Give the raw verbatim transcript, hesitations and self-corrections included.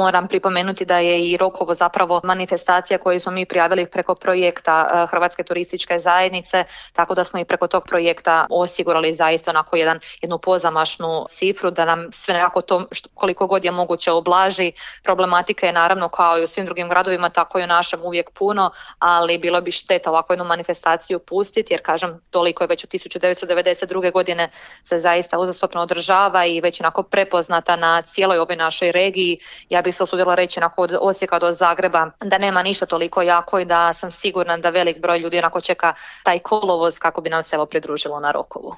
moram pripomenuti da je i Rokovo zapravo manifestacija koju smo mi prijavili preko projekta Hrvatske turističke zajednice, tako da smo i preko tog projekta osigurali zaista onako jedan, jednu pozamašnu cifru da nam sve nekako to koliko god je moguće oblaži. Problematika je naravno kao i u svim drugim gradovima, tako i u našem uvijek puno, ali bilo bi šteta ovako jednu manifestaciju pustiti, jer kažem, toliko je već od tisuću devetsto devedeset druge godine se zaista uzastopno održava i već onako prepoznata na cijeloj ovoj našoj regiji. Ja bih se usudila reći onako od Osijeka do Zagreba da nema ništa toliko jako i da sam sigurna da velik broj ljudi onako čeka taj kolovoz kako bi nam se evo pridružilo na Rokovu.